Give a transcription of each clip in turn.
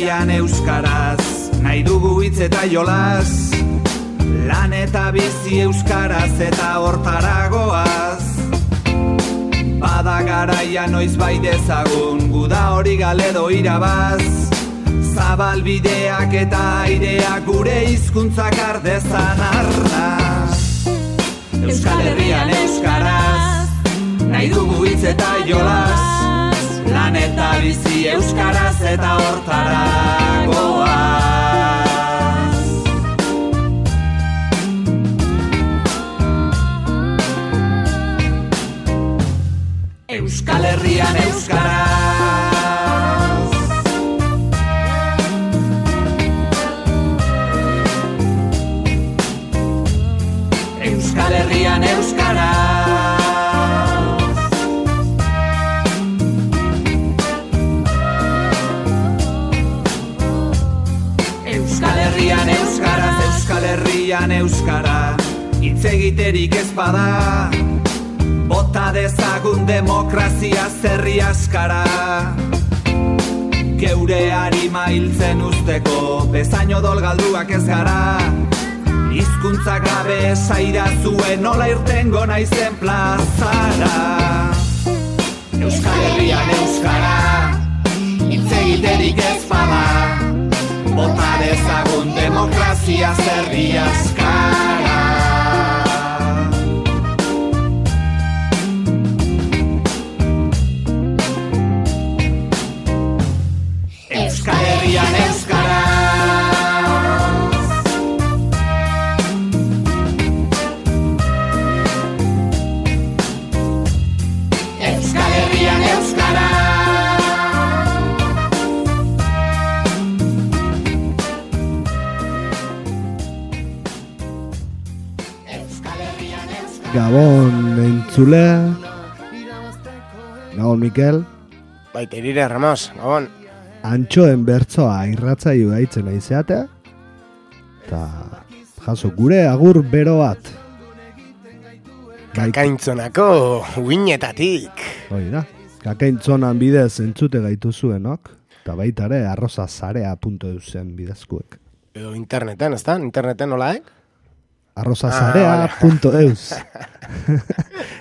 Herrian euskaraz, nahi dugu hitz eta jolas, lan eta bizi euskaraz eta hortaragoaz. Bada garaia noiz bai dezagun, guda hori galedo irabaz, zabalbideak eta aireak gure hizkuntzak ardezan arras. Euskal Herrian euskaraz, nahi dugu hitz eta jolas, lan eta bizi euskaraz eta hortaragoaz. Euskal Herrian euskaraz. Euskal Herrian euskaraz. Euskal Herrian euskaraz, Euskal Herrian euskara, hitz egiterik ez bada, bota dezagun demokrazia zerri askara. Geure harima hiltzen usteko, bezain odol galduak ez gara, hizkuntzak gabe esaira zuen nola irtengo naizen plazara. Euskal Herrian euskara, hitz egiterik ez bada, bota dezagun demokrazia zerri askara. Euskal Herrian euskaraz. Euskal Herrian euskaraz. Euskal Herrian euskaraz. Gabon entzule. Gabon Mikel. Baita irire Ramos, gabon. Antxoen bertzoa irratzaio gaitzen aizeatea, eta jaso gure agur bero bat. Kakaintzonako uinetatik. Hoi da, kakaintzonan bidez entzute gaituzuenok, eta baita ere arrozazarea.eusen bidezkuek. Edo interneten, ez da? Interneten nola, arrozazarea.eus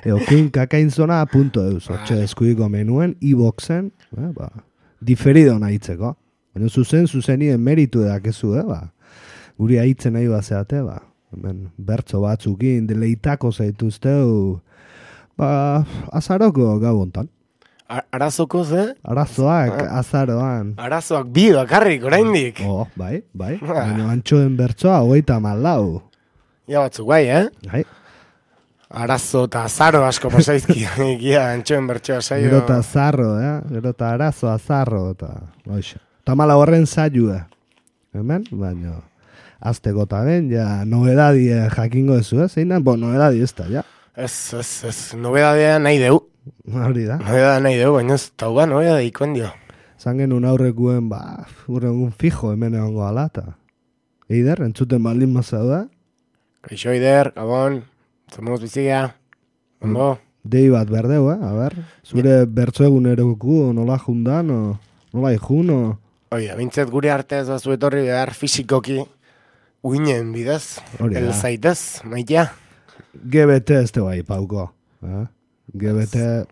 Edo kakaintzona.eus Hortxe eskuiko menuen, iBoxen, diferido nahitzeko. Baina zuzenien meritu edakezu, guri haitzen nahi bazeate, hemen bertzo batzukin deleitako zaituzteu, azaroko gau hontan. Arazoko ze? Arazoak, azaroan. Arazoak bi bakarrik, oraindik. Bai. Baina antxoen bertzoa 34. Ja batzuk bai, Bai. Arazo eta azaro asko pasaizki, antxoen bertsoa saio. Gero eta azarro, gero eta arazo, azarro, eta oixa. Tamala horren zailua. Hemen, baina azteko eta ben, ja, novedadie jakingo ezu, zein da? Novedadi ez da, ja. Ez, nobedadea nahi deu. Hori da. Nobedadea nahi deu, baina ez tau nobedadea ikoen dio. Zan genuen aurrekuen, gure egun fijo hemen egongo alata. Eider, entzuten baldin mazau da? Kaixo Eider, gabon. Zamuz bizigea, ondo? Dei bat berdeu, a ber? Zure bertzo egun eroku, nola jundan, nola ikun, Oia, bintzet gure arte ez bazu etorri behar fizikoki uinen bidez, el zaitez, maitea. GBT ez teba ipauko, GBT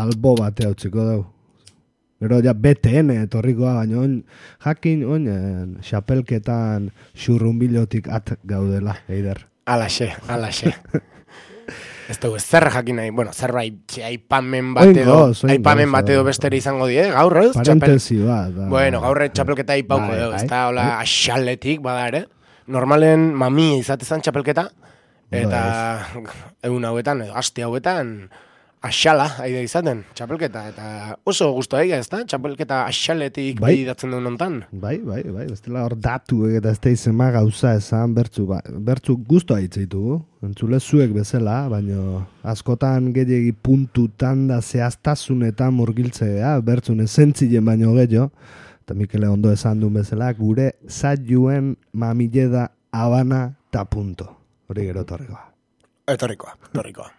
albo bate hau txiko dau. Gero ja BTN etorrikoa, baina jakin xapelketan xurrunbilotik at gaudela, Eider. Alaxe. Ez dugu, zer jakin nahi, zerbait aipamen bat edo bestere izango die, gaur ez? Parentesi bat. Gaur txapelketa aipauko edo, ez da, hola, axaletik, bada ere. Normalen mami izatezan txapelketa, eta egun hauetan, edo aste hauetan, axala, aide izaten, txapelketa, eta oso guztua egia, ez da? Txapelketa axaletik bidatzen duen ontan. Bai, bestela hor datu eta ez da izema gauza esan bertzu guztua hitzeitu, entzule zuek bezala, baina askotan gehiagi puntutan da zehaztasunetan murgiltzea, bertzun esentzien baino gehiago, eta Mikele ondo esan duen bezala, gure zailuen mamile da Habana ta punto. Hori gero etorrikoa. Etorrikoa.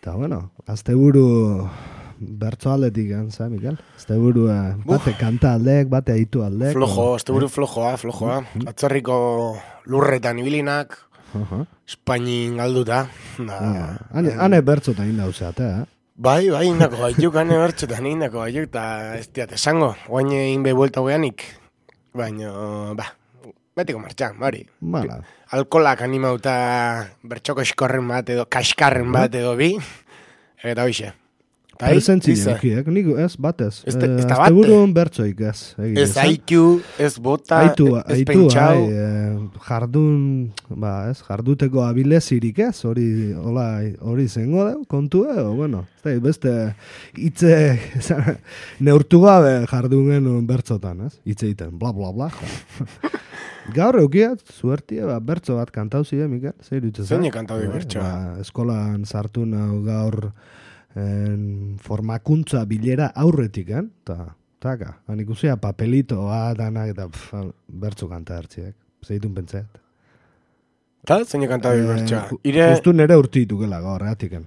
Eta bueno, asteburu bertzo aldetik gantza, Miguel. Este buru, bate kanta aldek, bate aitu aldek. Este buru flojoa. Atzerriko lurretan ibilinak, Espainin galduta. Hane bertzotan indauzeat, Bai, indako gaituk, hane bertzotan indako gaituk, eta ez diat esango, guain egin behi buelta gueanik, baina, betiko martxan, bari. Alkolak animauta bertxoko eskorren bat edo, kaskarren bat edo bi, eta hoxe. Presentzileak, nik ez, batez. Ez buruen bertzoik ez. Ez aitu, ez bota, ez pentsau. Jarduteko abilezirik ez, hori zengo da, kontu bueno, beste hitze neurtu gabe jardun genuen bertzotan, ez? Hitze egiten, bla, bla, bla. Gaur eukiat, zuertie, bertzo bat kantau zide, Mikel? Zein kantau di bertzo? Eskolan sartu nahu gaur formakuntza bilera aurretik, taka, ikusia papelitoa, danak, eta bertzo kanta hartziek, zeitun pentseat. Eta, zein kanta di bertzoa? Justu nere urtitu gela gaur, atiken.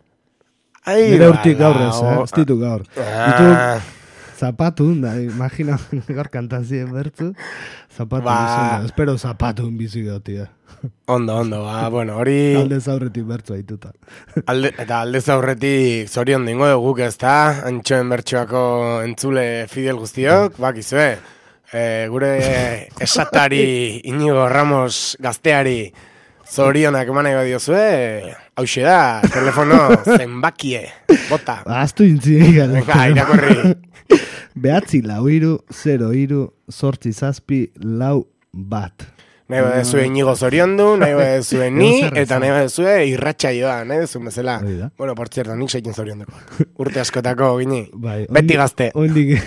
Nere urtik gaur ez ditu gaur. Ditu zapatu, imagina gaur kantazien bertzu, zapatu bizuna, espero zapatu bizi gotia. Ondo, bueno, hori... Aldez aurretik bertzu haituta. Eta aldez aurretik zorion dingo guk ez da, antxoen bertsoako entzule Fidel guztiok, bakizue, gure esatari Inigo Ramos gazteari zorionak eman nahi badiozue, hauxe da, telefono zenbakie, bota. Aztu intzinik. Irakorri. Behatzi 4-0-0-8-7-4. Nahi badezue Inigo zoriondu, nahi badezue ni, eta nahi badezue irratxaioa, nahi dezun bezala. Bueno, por cierto, nik seikin zorionduko. Urte askotako gini, beti gazte. Oindik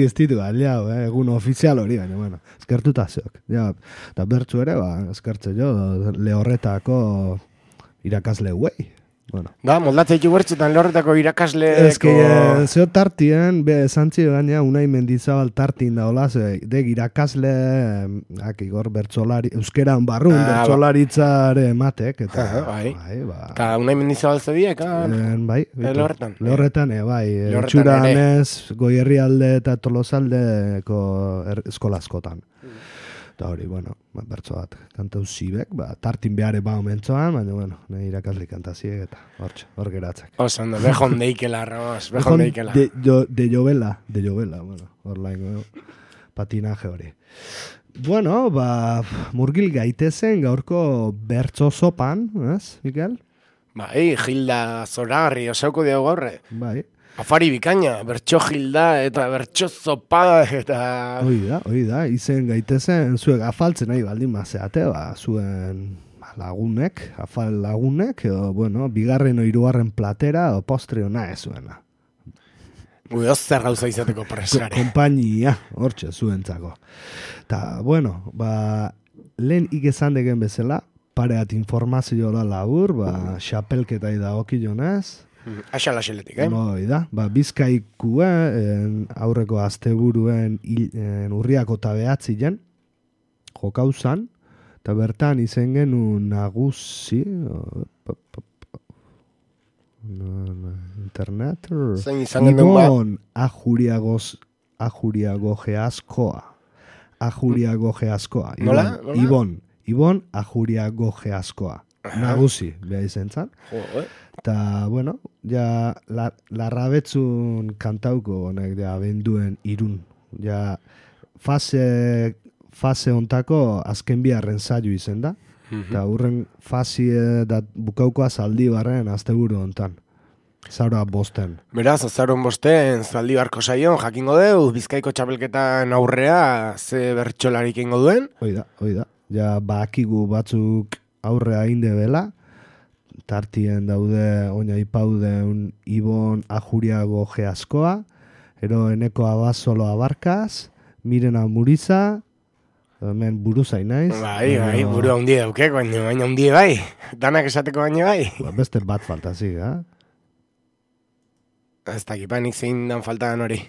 ez ditu, aliau, egun ofizial hori, baina, bueno, eskertuta zeok. Eta bertzu ere, eskertze jo, lehorretako irakasle guei. Bueno. Da, moldatzea ditu bertzutan lehorretako irakasleko... Ez que, zeo tartien, zantzi gaina, Unai Mendizabal tartin da, hola, dek irakasle, igor bertzolari, euskeran barrun, bertzolaritzare matek, eta... Eta Unai Mendizabal zediek, bai, lehorretan. Lehorretan, bai, txuranez, Goierrialde eta Tolosaldeko eskolazkotan. Eta hori, bueno, bertzo bat, kantau zibek, tartin behare mentzoan, baina, bueno, nahi irakasli kantaziek eta hor geratzak. Oso, bejon deikela, Ramos, bejon deikela. De jovela, bueno, hor laingo, patinaje hori. Bueno, murgil gaitezen gaurko bertzo zopan, ez, Mikel? Bai, Gilda Zoragarri, osauko diago gaurre. Bai. Afari bikaina, bertso Gilda eta bertso zopa eta... Hoi da, izen gaitezen, zuek afaltzen nahi baldin mazeate, zuen lagunek, afal lagunek, bueno, bigarren o hirugarren platera, o postre ona ez zuena. Gure zer gauza izateko presare. Kompainia, hortxe, zuentzako. Ta, bueno, lehen ikesan degen bezala, pareat informazio da labur, xapelketai da okilonez, Axala xeletik, da, Bizkaikua aurreko asteburuen urriako tabeatzien jokauzan, eta bertan izen genuen nagusi internet Ibon Ajuriagogeazkoa Nola? Ibon Ajuriagogeazkoa nagusi, beha izen zan. Eta, bueno, ja larrabetzun kantauko honek da benduen irun. Ja fase ontako azken biharren zailo izen da. Eta hurren fase da bukaukoa zaldi barren azteburu ontan. Zaura bosten. Beraz, azauron bosten zaldi barko saion jakingo deu, Bizkaiko txapelketan aurrea ze bertxolarik ingo duen? Hoi da. Ja bakigu batzuk aurrea inde bela. Tartien daude oina ipaudeun Ibon Ajuriagogeazkoa, ero Eneko Abasolo Abarkaz, Mirena Muriza, hemen buru zainaiz. Bai, buru handi daukek, baina handi bai, danak esateko baina bai. Beste bat faltazik, Ez dakipanik zein dan faltan hori.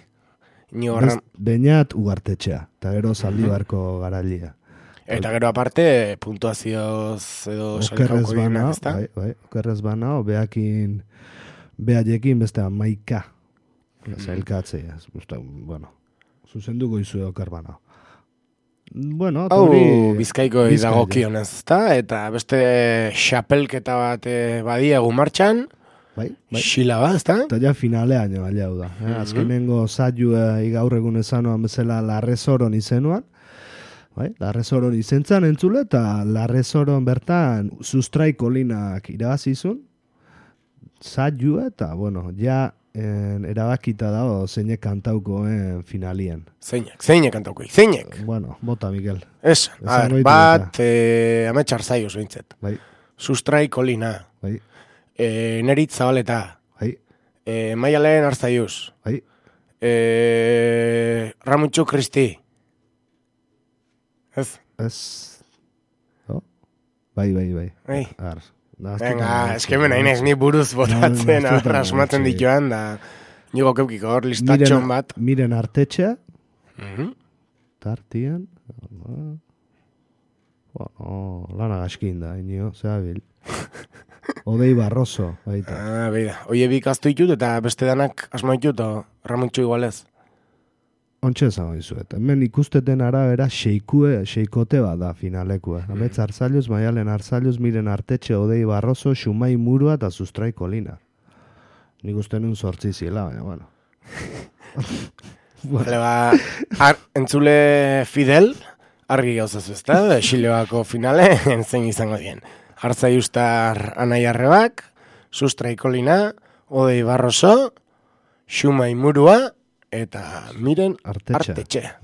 Beñat ugartetxea, eta gero Zaldibarko garailia. Eta gero aparte, puntuazioz edo salikauko dienak, ez da? Bai, okerrez banao, behaiekin beste amaika zailkatzea. Bueno, zuzenduko izue okarbana. Bueno, Bizkaiko idagokionez, eta beste xapelketa bat badiegu martxan, Bai. Xila ba, ezta? Eta ja finalean jo alia da. Azkenengo zailu gaur egun ezanoan bezala Larrezoron izenuan. Bai, Larrezoron izentzan entzule, eta Larrezoron bertan Sustraiko linak irabazizun. Zailu eta, bueno, ja erabakita dago zeinek kantauko finalien. Zeinek kantauko, zeinek? Bueno, bota, Miguel. Bat, ametxar zaioz bintzet. Bai. Sustraiko lina. Bai. Nerit Zabaleta. Bai. Maialen Arzaiuz. Bai. Ramuntxu Kristi. Ez? Oh? Bai. Venga, eskemen hainez ni buruz botatzen, asmatzen dituan, da nigo keukiko hor listatxon bat. Miren Artetxea. Tartian. Lana gaskin da, inio, zehabil. Odei Barroso, baita. Beida, oie bikaztu ditut eta beste danak asma ditut, Ramuntxu igualez. Ontxe esan dizuet. Hemen ikusteten arabera xeikote bat da finalekue. Ametz Arzaiuz, Maialen Arzaiuz, Miren Artetxe, Odei Barroso, Xumai Murua eta Sustraiko lina. Nik uste nun sortzi zila, baina, bueno. Entzule Fidel, argi gauzazu ezta, Xileoako finale, zein izango dien. Arzaiuztar Anai Arrebak, Sustraiko lina, Odei Barroso, Xumai Murua, eta Miren Artetxe.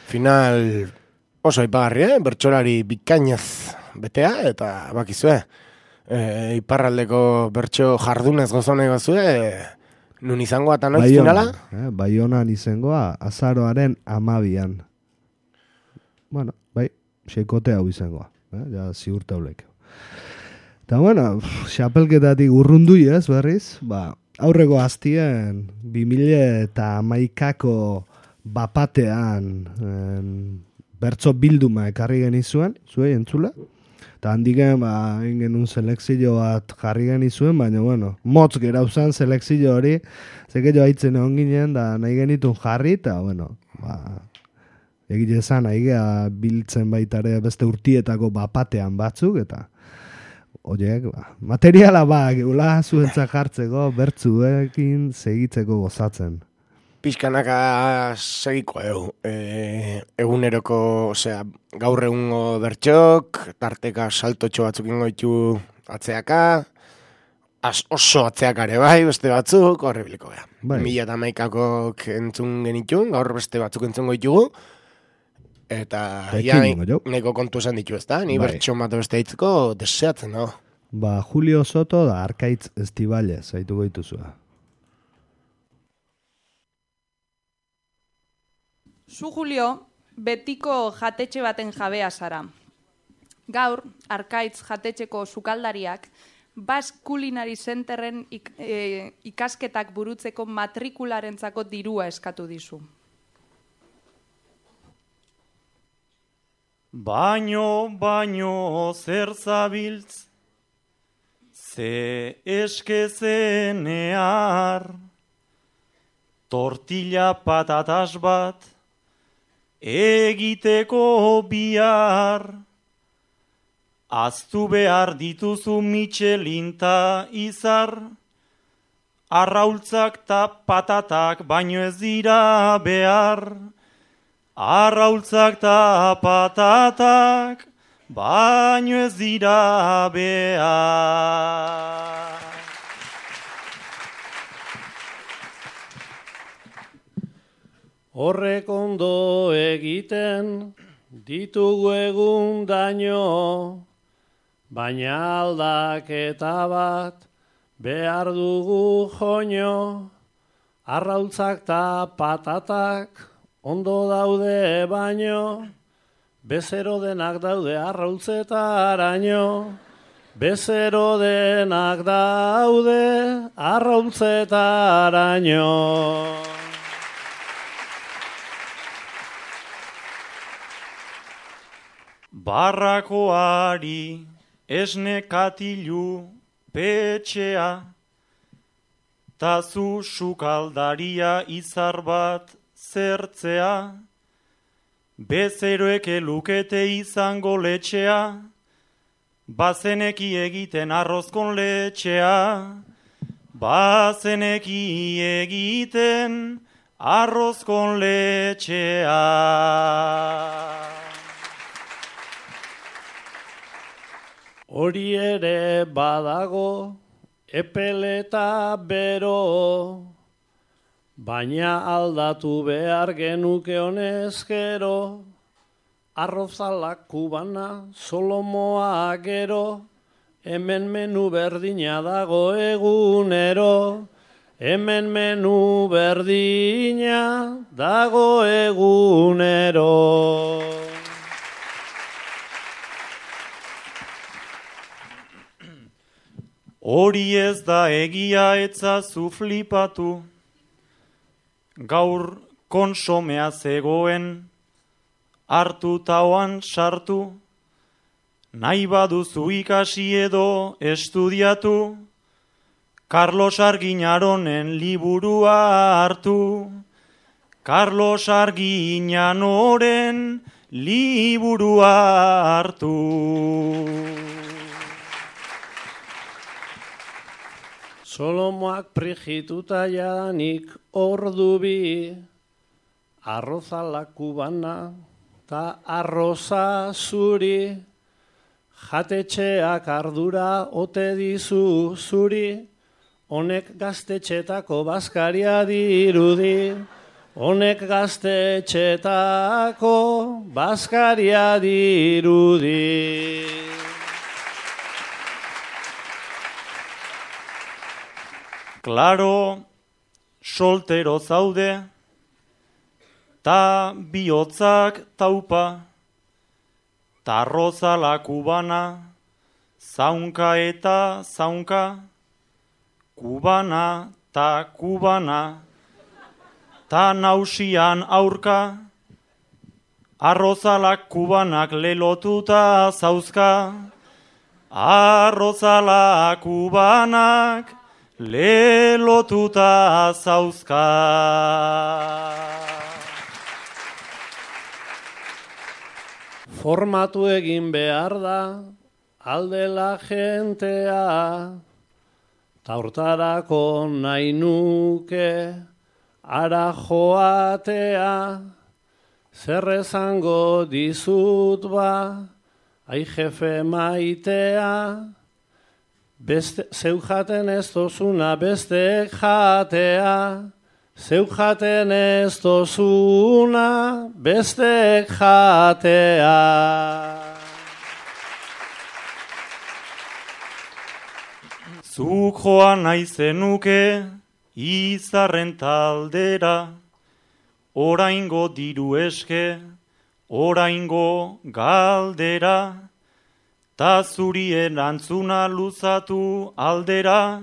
Final oso aipagarri, bertsolari bikainez betea, eta bakizue, iparraldeko bertso jardunez gozone gozue, nun izangoa eta noiz finala? Baionan izangoa, azaroaren 12an. Bueno, bai, xeikote hau izangoa, ja ziurtaulek. Eta bueno, xapelketatik urrundui ez, berriz, aurreko aztien 2011ko bapatean bertso bilduma ekarri genizuen, zuei entzule. Eta handiken, genuen selekzio bat jarri genizuen, baina, bueno, motz gerauzan selekzio hori, zekeio haitzen egon ginen, da nahi genitun jarri, eta, bueno, egile zan, nahi biltzen baitare beste urtietako bapatean batzuk, eta oiek, materiala geula zuentzak jartzeko, bertzuekin segitzeko gozatzen. Pixkanaka segiko eguneroko, gaur egungo bertxok, tarteka saltotxo batzuk ingoitu atzeaka, oso atzeakare bai, beste batzuk, horrebiliko gara. 2011ak entzun genitun, gaur beste batzuk entzun goitugu, eta neko kontu esan ditu ezta, ni bertxon bat beste hitzeko deseatzen dago. Julio Soto da Arkaitz Estibalez, zaitu goituzua. Zu, Julio, betiko jatetxe baten jabea zara. Gaur, Arkaitz jatetxeko sukaldariak, Basque Culinary Centerren ikasketak burutzeko matrikularentzako dirua eskatu dizu. Baino, zer zabiltz, ze eskezenear, tortilla patatas bat, egiteko bihar, aztu behar dituzu Michelin ta izar, arraultzak ta patatak baino ez dira behar, arraultzak ta patatak baino ez dira behar. Horrek ondo egiten ditugu egun daño, baina aldaketa bat behar dugu joño, arraultzak ta patatak ondo daude baino, bezero denak daude arraultzetaraino, bezero denak daude arraultzetaraino. Barrakoari esne katilu petxea, ta zu sukaldaria izar bat zertzea, bezeroek lukete izango letxea, bazeneki egiten arrozkon letxea, bazeneki egiten arrozkon letxea. Hori ere badago, epeleta bero, baina aldatu behar genuke honez gero, arrozalak kubana, solomoa gero, hemen menu berdina dago egunero, hemen menu berdina dago egunero. Hori ez da egia etzazu flipatu, gaur konsomea zegoen, hartu tauan sartu, nahi baduzu ikasi edo estudiatu, Carlos Arguinaronen liburua hartu, Carlos Arguinanoren liburua hartu. Solomoak prigituta jadanik ordu bi, arrozala kubana ta arroza zuri, jatetxeak ardura ote dizu zuri, honek gaztetxetako bazkaria dirudi, honek gaztetxetako bazkaria dirudi. Klaro, soltero zaude, ta bihotzak taupa, ta arrozala kubana, zaunka eta zaunka, kubana ta kubana, ta nausian aurka, arrozalak kubanak lelotuta zauzka, arrozalak kubanak lelotuta zauzka. Formatu egin behar da, aldela jentea, ta hortarako nahi nuke ara joatea, zer esango dizut ba, ai jefe maitea, zeu jaten ez dozuna besteek jatea, zeu jaten ez dozuna besteek jatea. Zuk joan nahi zenuke izarren taldera, oraingo diru eske, oraingo galdera, ta zuri erantzuna luzatu aldera,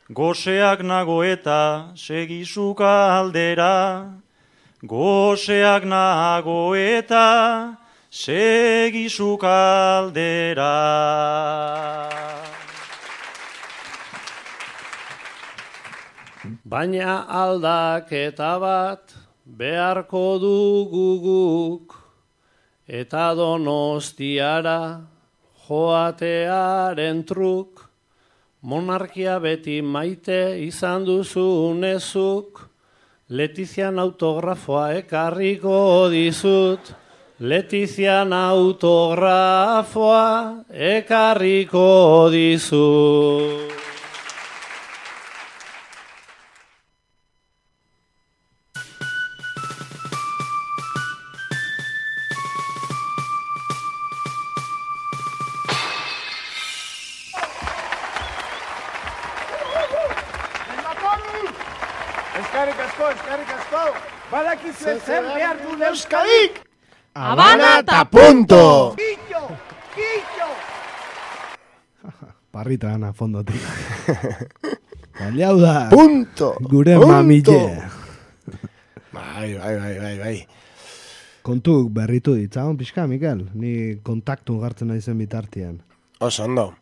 goseak nago eta segisuka aldera, goseak nago eta segisuka aldera. Baina aldaketa bat beharko dugu guk, eta Donostiara joatearen truk, monarkia beti maite izan duzunezuk, Letizian autografoa ekarriko dizut, Letizian autografoa ekarriko dizut. Eskerrik asko, badakizue zer behar du Euskadik? Habana ta punto! Quillo! Parrita gana fondotik. Baliau da. Punto! Gure mamille. Bai. Kontuk berritu ditzagon pixka, Mikel? Ni kontaktu gartzen naizen bitartian. Oso ondo.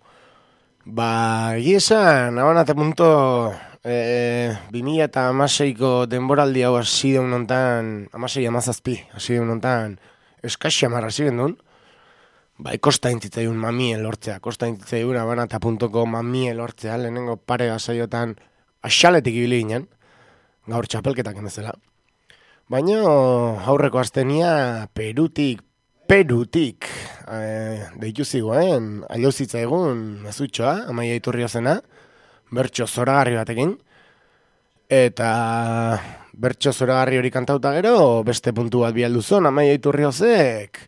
Ba, esan, Habana ta punto 2016ko denboraldi hau hasi deun nontan, 16-17, hasi deun nontan, eskaxia marra ziren duen, bai, kosta intzitzaiun mamie lortzea, kosta intzitzaiun abanata.ko mamie lortzea, lehenengo pare saiotan axaletik ibili ginen, gaur txapelketak emezela. Baina aurreko astenia Perutik deitu zigoen, ailauzitza egun mezutxoa, Amaia Iturriozena, bertso zoragarri batekin, eta bertso zoragarri hori kantauta gero, beste puntu bat bialdu zon, Amaia Iturriozek,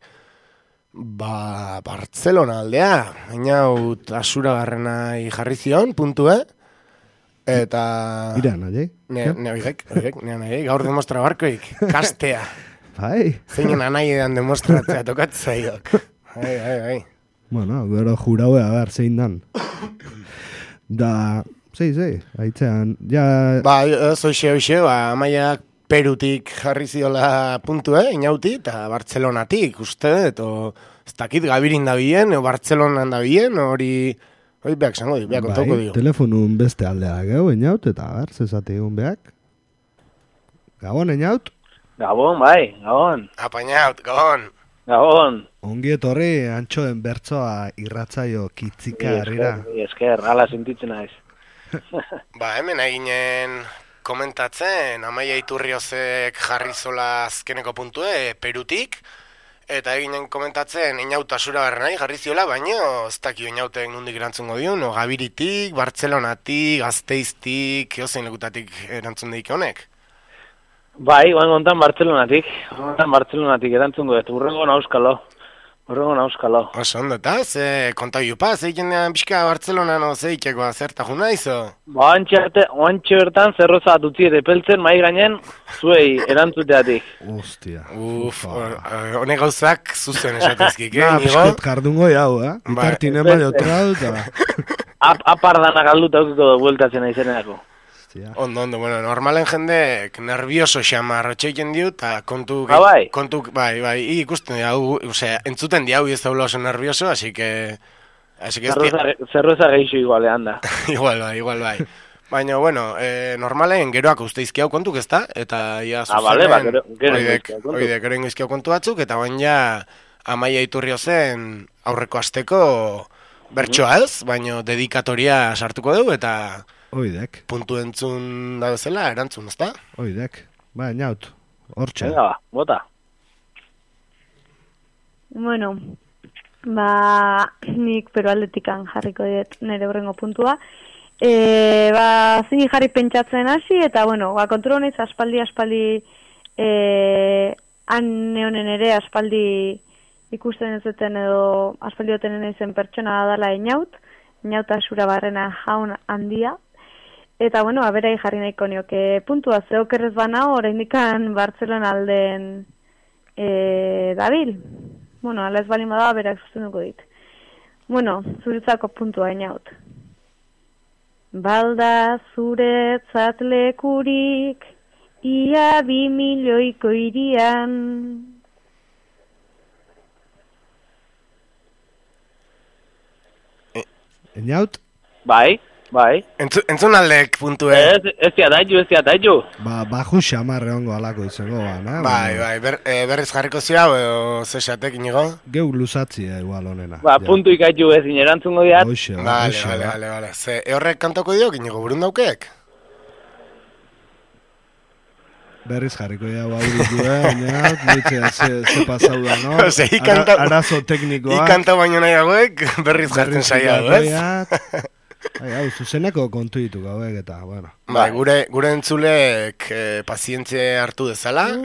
Bartzelona aldea, hainaut asuragarrenai jarri zion, puntue, eta... Ira, nahi? Ne gaur demostra barkoik, kastea. Bai. Zeinen anai edan demostratzea tokatzaiok. Bai. Bueno, gero juraue, a ber, zein dan. Da, haitzean, ja... Ba, hoxe, Amaiak Perutik jarri ziola puntue, inauti, eta Bartzelonatik, uste, eta ez dakit gabirin da bien, o Bartzelonan da bien, hori beak zango di, beak kontauko dio. Telefonun beste aldea geu, inaut, eta ber, zezate egun beak. Gabon, inaut? Gabon, bai, Gabon. Apainaut, Gabon. Gabon. Ongi etorri antxoen bertsoa irratzaio kitzika herrira. Esker, hala sentitzen naiz. Ba, hemen eginen komentatzen, Amaia Iturriozek jarri zola azkeneko puntue, Perutik, eta eginen komentatzen, inauta asuragarrenai jarri ziola, baina ez dakio inautek nondik erantzungo diun, o Gabiritik, Bartzelonatik, Gasteiztik, eozein lekutatik erantzun deik honek. Bai, ontan Bartzelonatik erantzungo dut, urrengo nauskalo. Oso ondo, eta ze kontau jupa, zeiken pixka Bartzelonan zeikeko zerta juna izo? Ba, oantxe bertan zerroza dutzi epeltzen mai gainen zuei erantzuteatik. Ostia. Hone gauzak zuzen esatezkik, Piskat jardungo jau, Itartinen baino trau, eta... Apardana galduta aukiko bueltatzen aizeneako. Ondo, bueno, normalen jendek nervioso xamar otxeiken diu, eta kontu, ikusten diau, entzuten diau ez daula oso nervioso, así que... Zerroza geixo igualean da. Igual bai. Baina, bueno, normalen geroak usteizki hau kontuk ez da, eta ia zuzenen, gero ingizki hau kontu batzuk, eta baina ja Amaia Iturriozen aurreko asteko bertsoa ez, baina dedikatoria sartuko dugu, eta... Oidek. Puntu entzun da bezala, erantzun, ezta? Oidek. Ba, inaut. Hortxe. Venga, bota. Bueno, nik Perualdetikan jarriko diet nire horrengo puntua. Zini jarri pentsatzen hasi, eta, bueno, kontrol honez aspaldi, han neonen ere aspaldi ikusten ez zuten edo aspaldi otenen izen pertsona dala inauta asura barrena jaun handia. Eta, bueno, aberai jarri nahiko nioke puntua zeokerrez bana oraindikan Bartzelona alden dabil. Bueno, ala ez balin bada berak zuzenduko dit. Bueno, zuretzako puntua inaut. Balda zuretzat lekurik, ia 2 milioiko irian. Inaut? Bai. Entzun aldek puntu, Ez diataiu. Baju xamarre hongo alako izango, Bai, berriz jarriko zia, o zesatek inigo? Geu luzatzia igual honena. Puntu ikaitu ez inerantzungo diat. Vale. Ze, horrek kantoko diok inigo burun daukek? Berriz jarriko dira bauritu, nitzea ze pasau da, no? Arazo teknikoa. Ikanta baino nahi hauek, berriz jartzen saia, ez? Zuzeneko kontu ditu gauek eta, bueno. Gure entzulek pazientzia hartu dezala.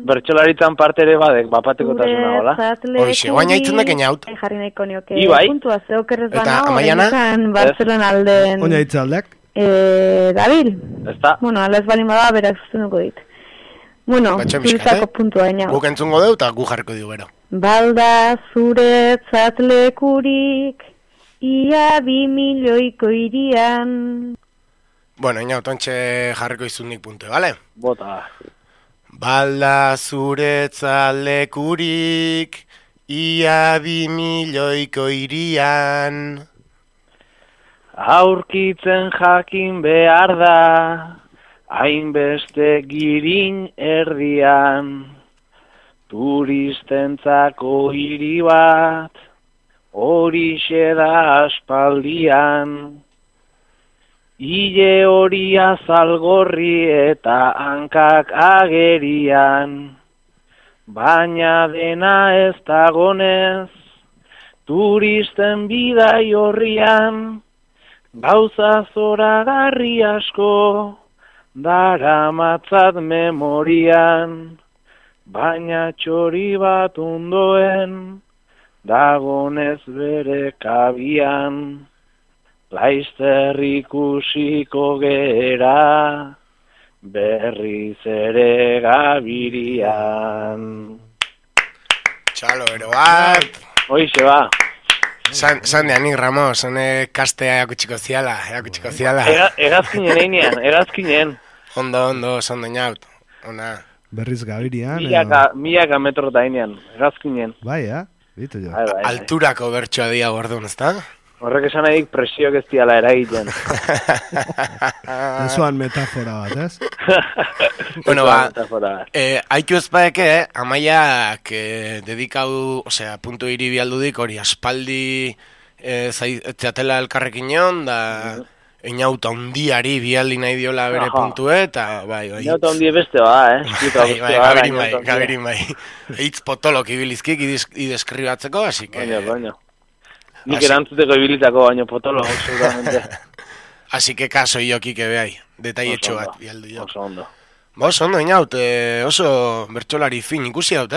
Bertxolaritzan parte ere badek, bapateko tasuna, hola? Hoxe, guaina itzen dek enaut. Jarri nahiko nioke. Ibai. Puntua zeokerrez bana, horrekan Bartzelona alden... Oina itzaldek? Dabil. Ezta. Bueno, ala ez balin bada, berak zuzenduko dit. Bueno, zuretzako puntua inaut. Guk entzungo deu eta gu jarriko diu gero. Balda zuretzat lekurik, ia 2 milioiko irian. Bueno, inaut, ontxe jarriko izunik puntu, bale? Bota. Balda zuretzat lekurik, ia 2 milioiko irian. Aurkitzen jakin behar da, hainbeste girin erdian, turistentzako hiri bat, horixe da aspaldian. Ile hori azalgorri eta hankak agerian, baina dena ez dagonez, turisten bidai horrian, gauza zoragarri asko, daramatzat memorian, baina txori bat ondoen, dagonez bere kabian, laizter ikusiko gera, berriz ere gabirian. Txalo, ero bat! Hoixe ba. San de anik, Ramos, hone kastea erakutsiko ziala. Egazkinen einean, egazkinen. Ondo, sondo inaut. Ona. Berriz gabirian. Milaka metro da einean, egazkinen. Bai, bitu jo. Alturako bertsoa dia gordun, ezta? Horrek esan nahi presioak ez diala eragiten. Ezoan metafora bat, ez? Bueno, haitu ez baeke, amaiak dedikau, osea, puntu iribi aldudik, hori aspaldi zeatela elkarrekin egon, da inauta ondiari bialdi nahi diola bere puntue, eta bai. Inauta ondi beste Gabirin bai. Eitz potolok ibilizkik ideskribatzeko, así que... Baina. Nik erantzuteko ibilitako baino potolo, seguramente. Así que kaso iokik behai, detaietxo bat bialdu jo. Oso ondo. Oso ondo, inaut, oso bertxolari fin ikusi daut,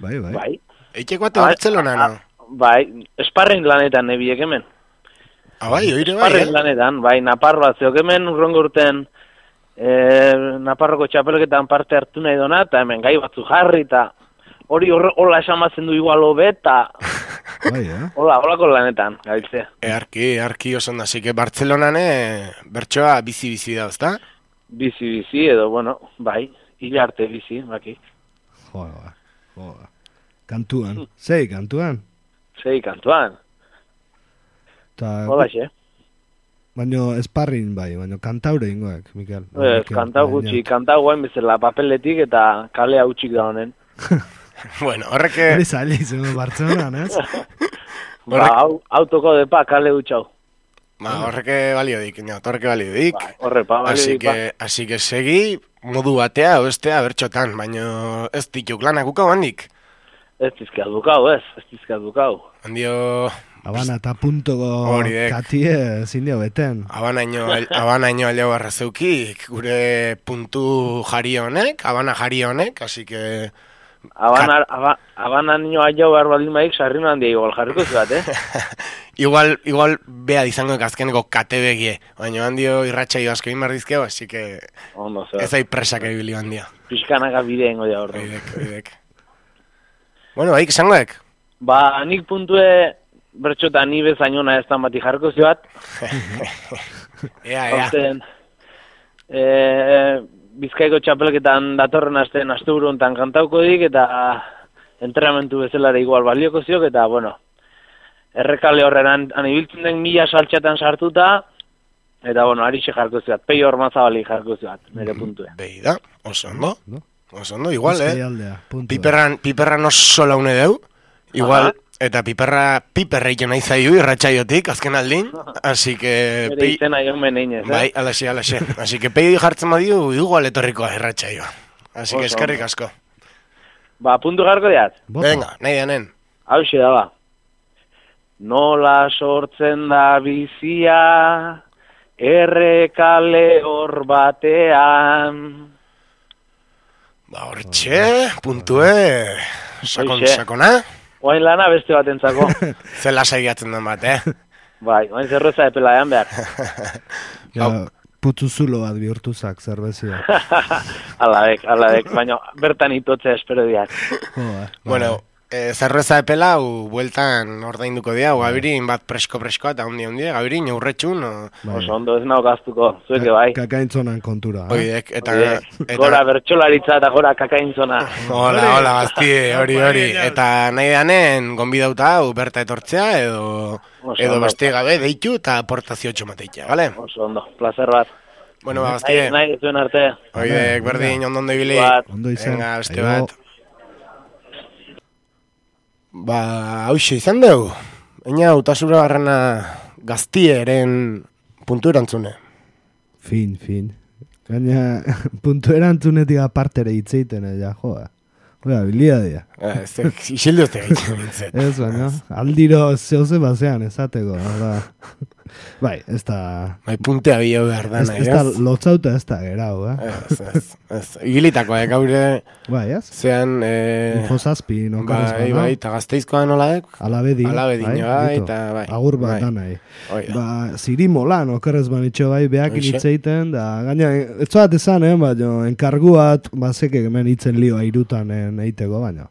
Bai. Eiteko ate Bartzelona, no? Bai, esparren lanetan nebiek hemen. Bai, oire bai, esparren lanetan, bai, Naparroa zeok hemen urrongo urten Naparroko txapelketan parte hartu nahi dona, eta hemen gai batzu jarri, eta hori hola esamatzen du igual hobeta. Holako lanetan, gabiltzea. Arki oso ondo, así que Bartzelonan bertsoa bizi da, ezta? Bizi edo, bueno, bai, hila arte bizi, baki. Joa. Kantuan, sei kantuan. Hola, xe. Baina esparrin bai, baina kantaure ingoak, Mikel. Kantau gutxi, kantau guain bezala papeletik eta kalea utxik da honen. Bueno, horreke... Hori zaila izan Bartzelonan, ez? Autoko depa kale utxau. Horreke balio dik, Horrepa, balio dik. Así que segi, modu batea, bestea, bertxotan, baina ez dituk lanak ukau handik. Ez dizkat bukau. Handio... Habana eta puntoko katie zindio beten. Habanaino aleo arrazeukik, gure puntu jari honek, Habana jari honek, así que... Habanaino aleo behar baldin maik, sarri handia igual jarriko zuat, Igual beha dizango azkeneko kate begie, baina handio irratxaio asko inbardizkeo, así que... Ez ai presak ebili handia. Pizkanaka bideengo da horro. Bidek. Bueno, haik esangoek? Ba, nik puntue... Bertxota ni bezainona ez dan bati jarko zioat. Ea. Bizkaiko txapelketan datorren asteburu hontan kantauko dik, eta entrenamentu bezalare igual balioko ziok, eta, bueno, errekale horren anibiltzen den 1000 saltxatan sartuta, eta, bueno, arixe jarko zioat, Peio Ormazabali jarko zioat, nire puntue. Beida, oso ondo, igual, Piperran oso laune deu, igual... Eta piperra ito nahi zaiu irratxaiotik, azken aldin, así que... Bere izena jo meneinez, Bai, alaxe. Así que pei jartzen badiu, igual etorrikoa irratxaioa. Así que eskerrik asko. Ba, puntu jarko diat? Venga, nahi danen. Hauxe da, ba. Nola sortzen da bizia, errekale hor batean. Ba, hortxe, puntue, sakona. Oain lana beste bat entzako. Zela saiatzen den bat, Bai, oain zerreza epela ean behar. Putzuzulo bat bihurtuzak zerbezia. Alabek, baina bertan itotzea espero diak. Bueno, zerreza epela, bueltan ordainduko dira, gabirin bat presko-preskoa eta hundi, gabirin aurretxun. Oso ondo ez nau gaztuko, zueke bai. Kakaintzonan kontura. Oidek, eta... Gora bertxolaritza eta gora kakaintzona. Hola, gaztie, hori. Eta nahi danen, gonbidauta hau berta etortzea, edo beste gabe deitu eta aportazio txomateitea, bale? Oso ondo, placer bat. Bueno, gaztie. Nahi zuen arte. Oidek, berdin, ondo ibili. Ondo izan. Venga, beste bat. Hauxe izan dugu. Eina, utasura barrena gaztieren puntu erantzune. Fin. Gaina, puntu erantzunetik apartere hitzeiten, joa. Oia, biliadia. Isildu ez tegaitzen nintzen. Ez, baina, aldiro zehose bazean ezateko. Bai, ez da... Bai, puntea bio behar dana, ez da lotzauta ez da gerau, Ez, igilitako, gaure... Bai, ez? Zean... Infosazpi, nokarrez bana. Bai, eta gazteizkoa nolaek? Alabedin, eta bai. Agur bat danai. Zirimola, nokarrez banitxo bai, behakin hitzeiten, da, gaina, ez bat ezan, baina, enkarguat, bazeke hemen hitzen lioa irutan eiteko, baina,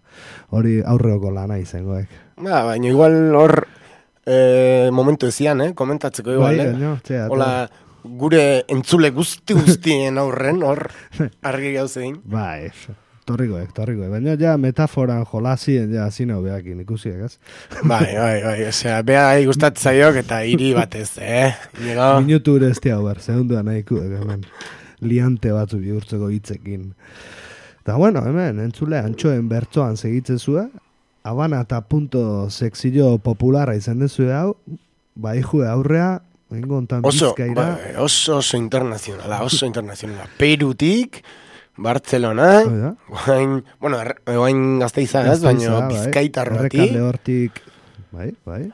hori aurreoko lana izangoek. Baina, igual hor... momentu ezian, komentatzeko igual, hola, gure entzule guztien aurren, hor, argi gauzein. Bai, torrikoek, baina ja metaforan jolazien, ja, zinau behakin ikusiek, ez? Bai, osea, beha gustatzaiok eta hiri batez, Minutu ere ez tia ber, segunduan nahikuek, hemen, liante batzu bihurtzeko hitzekin. Eta bueno, hemen, entzule, antxoen bertzoan segitzezue, Habana eta punto sekzio popularra izan dezu hau, bai jue aurrea, engontan bizkaira. Oso internazionala. Perutik, Bartzelona, guain gazteiza ez, baina bizkaitarrotik. Errekalde hortik, bai. Bai.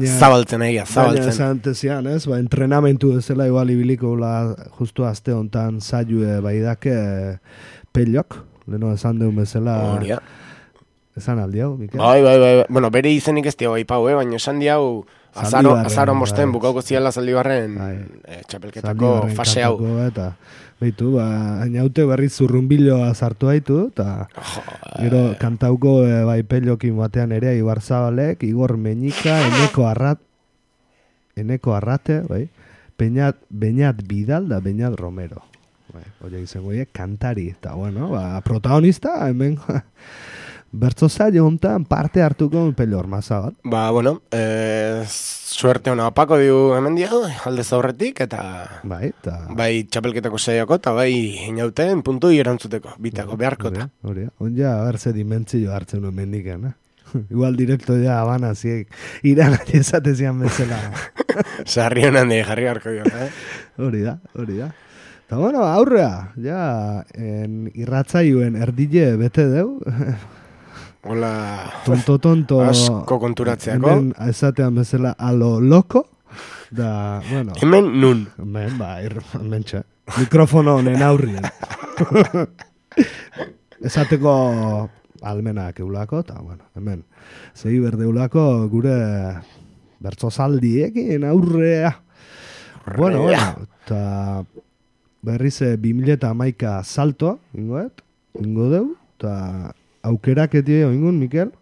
Zabaltzen egia. Baina zantezian ez, entrenamentu ezela igual ibiliko justu azte hontan zaiue baidake pelok. Leno esan deun bezala... Horia. Esan aldi hau, Mikel? Bai. Bueno, bere izenik ez diau aipau, baina esan diau azaron bosten bukauko ziala Zaldibarren txapelketako fase hau. Eta, behitu, hainaute berriz zurrunbiloa sartu haitu, eta gero kantauko bai pellokin batean ere Ibar Zabalek, Igor Meñika, Eneko Arrate, bai, Beñat Vidal da Beñat Romero. Oia izango kantari, eta bueno, protagonista, hemen bertzo zailo hontan parte hartuko pello ormaza bat. Bueno, suerte hona apako diu hemen diago, alde zaurretik, eta bai txapelketako saioko, eta bai inauten puntu irantzuteko, bitako beharkota. Onja, berze dimentzio hartzen nuen mendiken, Igual direkto ja Habana ziek iran esatezian bezala. Sarri honan de jarri harko dio, Hori da. Eta bueno, aurrea, ja, irratzaioen erdile bete deu. Hola, tonto. Asko konturatzeako. Hemen esatean bezala alo loko. Da, bueno. Hemen nun. Hemen txe. Mikrofono honen aurrien. Esateko almenak eulako, eta bueno, hemen. Zegi berdeulako gure bertzozaldiekin aurrea. Bueno, eta... Berriz 2011 saltoa, ingo deu, eta aukerak etie ingun, Mikel?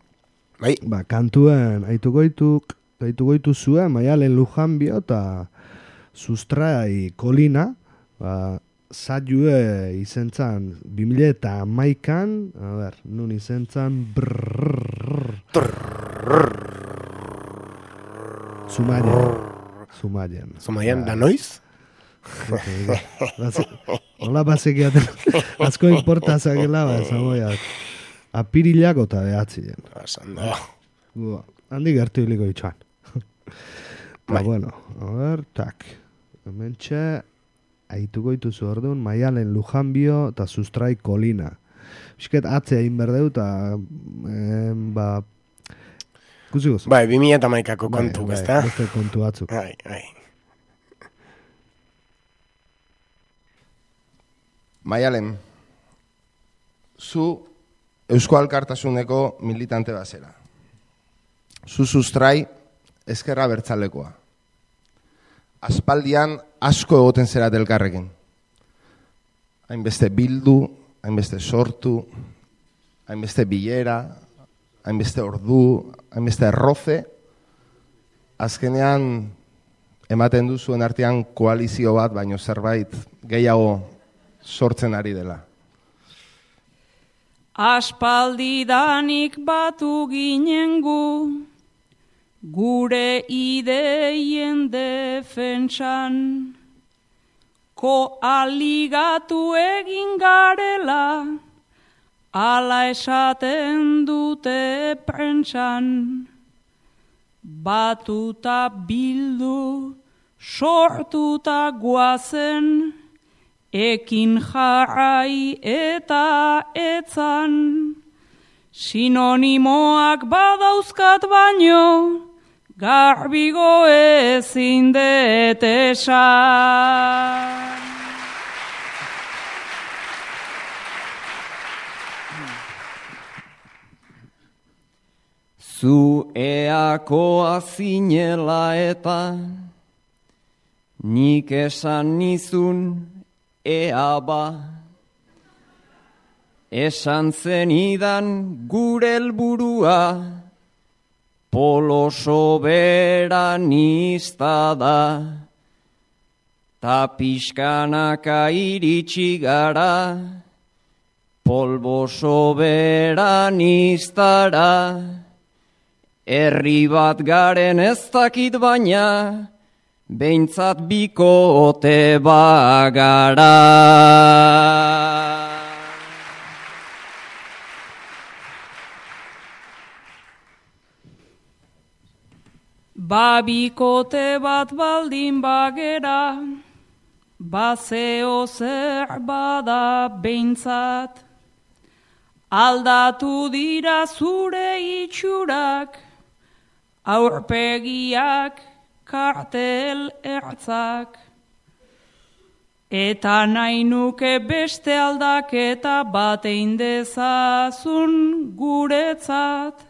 Bai. Kantuen aituko itu zuen, Maialen Lujanbio, eta Sustrai Kolina, zaiue izentzan 2011an, nun izentzan, Zumaien, da noiz? Hola basekiaten asko importa zakela apirilako eta behatzien handi gertu hiliko itxan bueno, hemen txe aituko ituzu orduan Maialen Lujanbio eta Sustrai Kolina bisket atzea inberdeu eta kusikoz bai, 2011ko kontu beste kontu batzuk bai Maialen, zu Eusko Alkartasuneko militante bazera. Zu Sustrai ezkerra bertzalekoa. Aspaldian asko egoten zera elkarrekin. Hainbeste bildu, hainbeste sortu, hainbeste bilera, hainbeste ordu, hainbeste erroze, azkenean ematen du zuen artean koalizio bat, baino zerbait gehiago sortzen ari dela. Aspaldidanik batu ginen gure ideien defentsan, koaligatu egin garela, ala esaten dute prentsan. Batuta bildu, sortuta guazen, ekin jarrai eta etzan. Sinonimoak badauzkat baino, garbigo ezin det esan. Zu eakoa zinela eta nik esan nizun ea ba. Esan zenidan gure helburua polo soberanista da. Ta pixkanaka iritsi gara polbo soberanistara. Herri bat garen ez dakit baina, behintzat bikote bagara. Bikote bat baldin bagera, bazeo zer bada behintzat. Aldatu dira zure itxurak, aurpegiak, kartel ertzak. Eta nahi nuke beste aldaketa bat egin dezazun guretzat.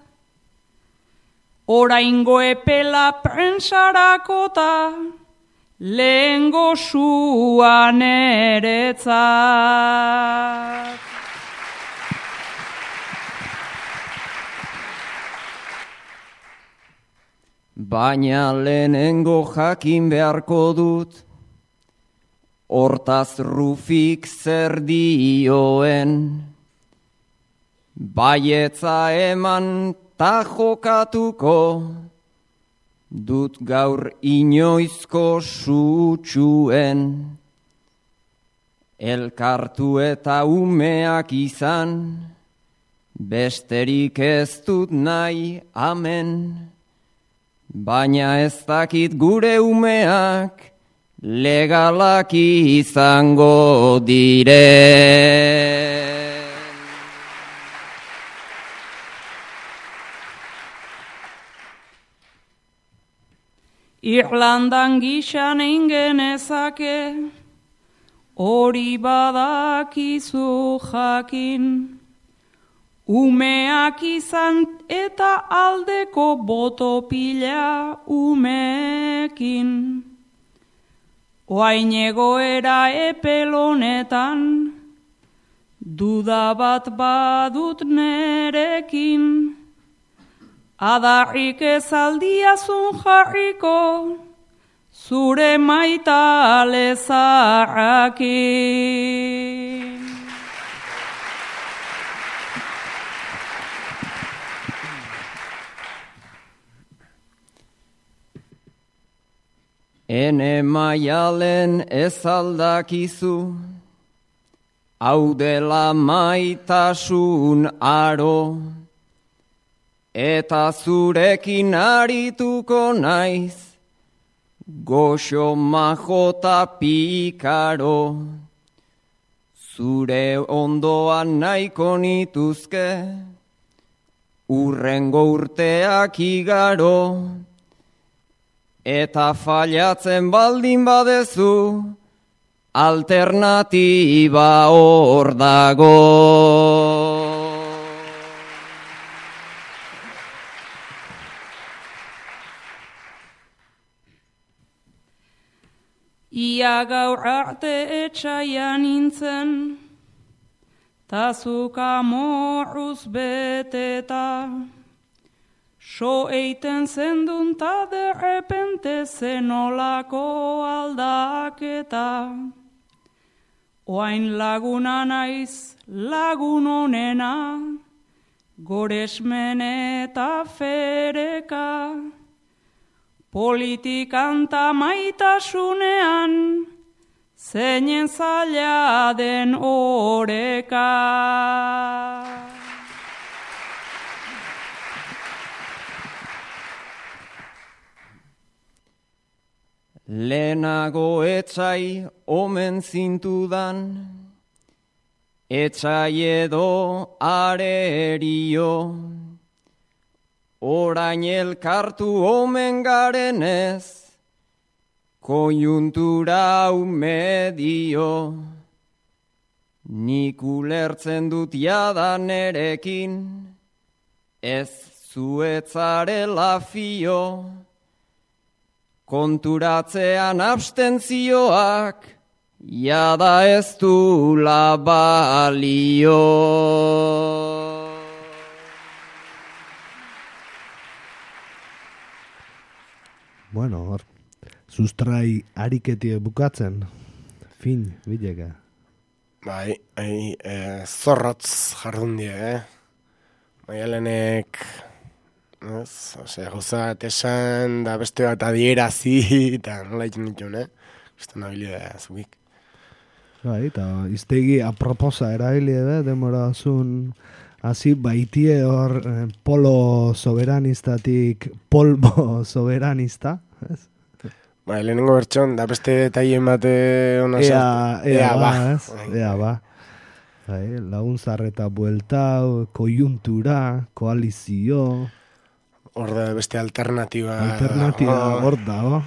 Oraingo epela prentsarakota, lehengo suan eretzat. Baina lehenengo jakin beharko dut, hortaz Rufik zer dioen. Baietza eman ta jokatuko, dut gaur inoizko sutxuen. Elkartu eta umeak izan, besterik ez dut nahi amen. Baina ez dakit gure umeak legalak izango dire. Irlandan gixan eingen ezake, hori badakizu jakin. Umeak izan eta aldeko boto pila umekin. Oain egoera epelonetan, duda bat badut nerekin. Adarrik ez aldiazun jarriko, zure maitale zarrakin. Ene maialen ez aldakizu, hau dela maitasun aro, eta zurekin arituko naiz, goxo majota pikaro. Zure ondoan nahiko nituzke, urrengo urteak igaro, eta fallatzen baldin badezu, alternatiba hor dago. Ia gaur arte etxaian nintzen, ta zuka morruz beteta. So eiten zendun ta derrepente zenolako aldaketa. Oain laguna naiz lagun onena, goresmen eta fereka. Politikan ta maitasunean, zeinen zaila den oreka. Lehenago etzai omen zintudan, etzai edo arerio, orain elkartu omen garenez, konjuntura medio. Nik ulertzen dut jadan erekin, ez zuetzarela fio, konturatzean abstentzioak, jada ez du la balio. Bueno, hor, sustrai ariketie bukatzen, fin, bileka. Bai, zorrotz jardun die, Maialenek, gauza bat esan, da beste bat adierazi, eta nola egin ditun, Beste nabilidea zubik. Bai, eta iztegi aproposa erabilie, demora zun, hasi baitie hor polo soberanistak polbo soberanista, ez? Bai, lehenengo bertxon, da beste detaien bate ona sartu. Ea ba. Bai, laguntzarreta bueltau, koiuntura, koalizio. Hor da beste alternatiba. Hor da,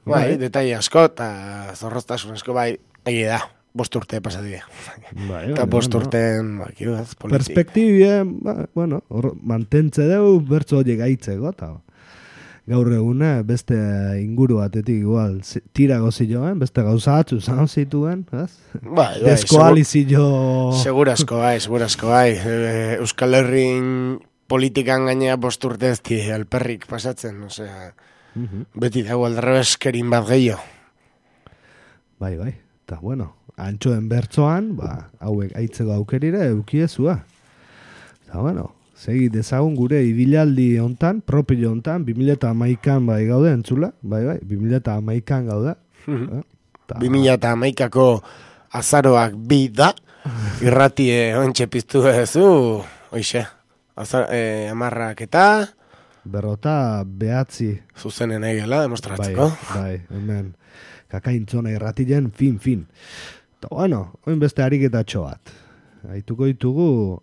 Bai, detai asko, eta zorroztasun asko, bai, egia da, 5 urte pasatia. Eta 5 urten, politik. Perspektibie, bueno, mantentze deu, bertzo horiek aitzeko, eta gaur egune, beste inguru batetik igual, tirago ziloen, beste gauza atzu zan zituen, ez? Bai, deskoalizio... Segurazko bai. Euskal Herrin politikan gainea 5 urte ez di alperrik pasatzen, osea... Beti dago aldarrebeskerin bat gehiago. Bai, eta bueno, antxoen bertzoan, hauek aitzeko aukerire eukiezua. Eta bueno, segi dezagun gure ibilaldi hontan, propio hontan, 2011an bai gaude entzula, bai, 2011an gaude. 2011ako azaroak 2 da, irratie ontxe piztu ezu, oixe, 10 eta... Berrota behatzi. Zuzenen egela, demostratzeko. Bai, hemen. Kakaintzona irratilen, fin. Eta bueno, oin beste ariketatxo bat. Aituko ditugu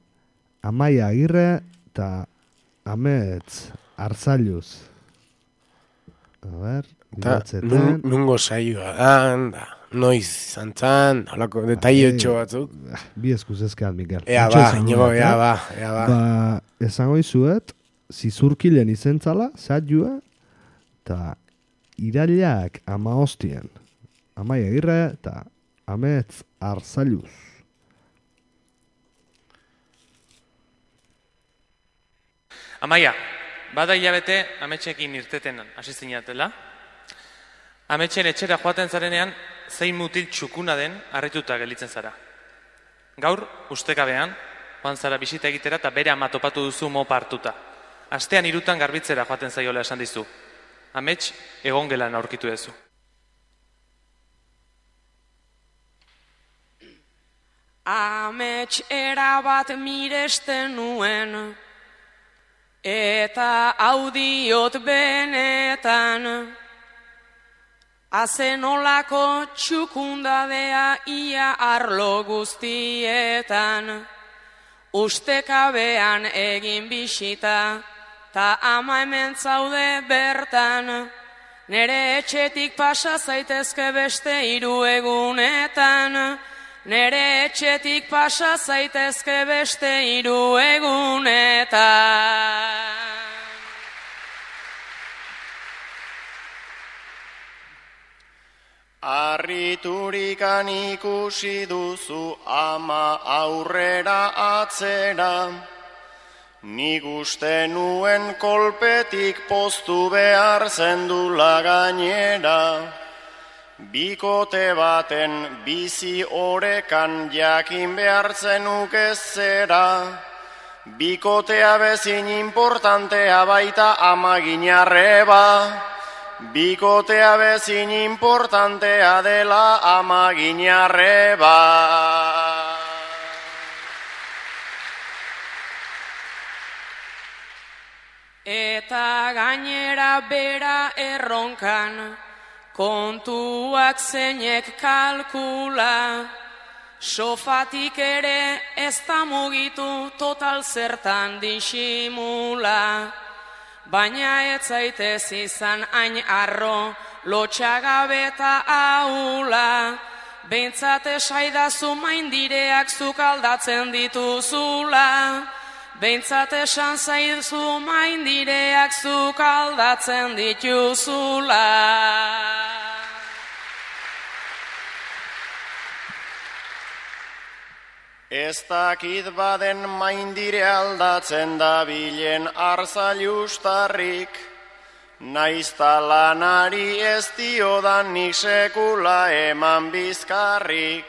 Amaia Agirre eta Amets Arzailuz. A ber, bilatzeten. Nungo saioa da, noiz zantzan, holako detaietxo batzuk. Bi eskuz ezkean, Mikel. Ea ba. Esango izuet, zizurkilen izentzala, zailua, eta irailak 15. Amaia Agirre eta Amets Arzailuz. Amaia, bada hilabete ametxekin irteten hasi zinatela. Ametxen etxera joaten zarenean, zein mutil txukuna den harrituta gelditzen zara. Gaur, ustekabean, joan zara bisita egitera eta bere ama topatu duzu mopa hartuta. Astean 3 garbitzera joaten zaiola esan dizu. Amets, egongelan aurkitu duzu. Amets erabat miresten nuen, eta audiot benetan, azenolako txukundadea ia arlo guztietan, ustekabean egin bisita, ta ama hemen zaude bertan, nere etxetik pasa zaitezke beste 3 egunetan, nere etxetik pasa zaitezke beste 3 egunetan. Arriturikan ikusi duzu ama aurrera atzera, nik uste nuen kolpetik poztu behar zendula gainera. Bikote baten bizi orekan jakin behar zenuk ez zera, bikotea bezin importantea baita amaginarreba. Bikotea bezin importantea dela amaginarreba. Eta gainera bera erronkan, kontuak zeinek kalkula, sofatik ere ez da mugitu total zertan disimula. Baina ez zaitez izan hain arro, lotxagabe eta ahula, behintzat esaidazu maindireak zuk aldatzen dituzula. Behintzat esan zaizu maindireak zuk aldatzen dituzula. Ez dakit baden maindire aldatzen da bilen arzailustarrik, naizta lanari ez diodan nik sekula eman bizkarrik.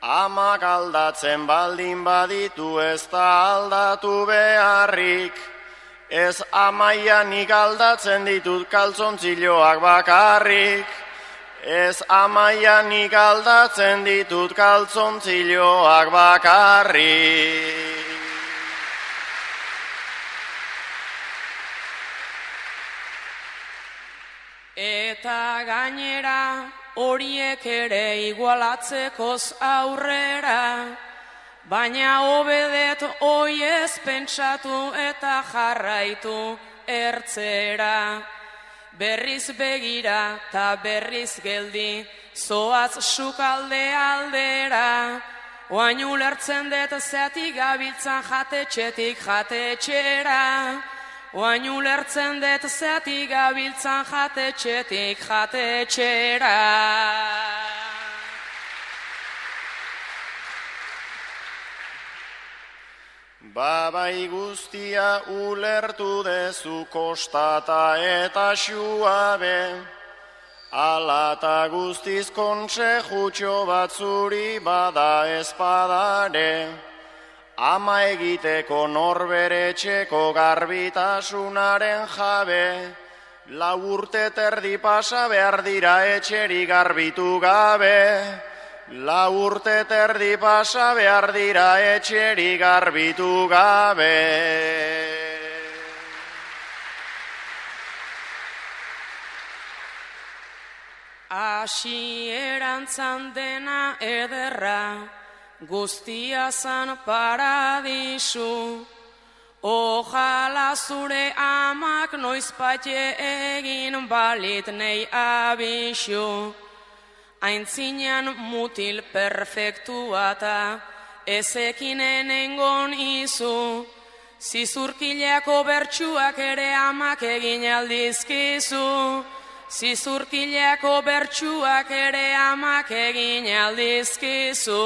Amak aldatzen baldin baditu ez da aldatu beharrik, ez amaia nik aldatzen ditut kaltzontziloak bakarrik. Ez amaia nik aldatzen ditut kaltzontziloak bakarrik. Eta gainera horiek ere igualatzekoz aurrera, baina hobedet oiez pentsatu eta jarraitu ertzera. Berriz begira ta berriz geldi, zoaz sukalde aldera. Oain ulertzen dut zeatik gabiltzan jatetxetik jatetxera. Oain ulertzen dut zeatik gabiltzan jatetxetik jatetxera. Babai guztia ulertu dezu kostata eta xuabe, alata guztiz kontsejutxo batzuri bada espadare, ama egiteko norbere etxeko garbitasunaren jabe, lau urte terdi pasa behar dira etxeri garbitu gabe. Lau urte terdi pasa behar dira etxeri garbitu gabe. Hasierantzan dena ederra, guztia zan paradisu. Ojala zure amak noizpatxe egin balit nei abisu. Aintzinean mutil perfektua eta ezekinen engon izu, zizurkileako bertsuak ere amak egin aldizkizu. Zizurkileako bertsuak ere amak egin aldizkizu.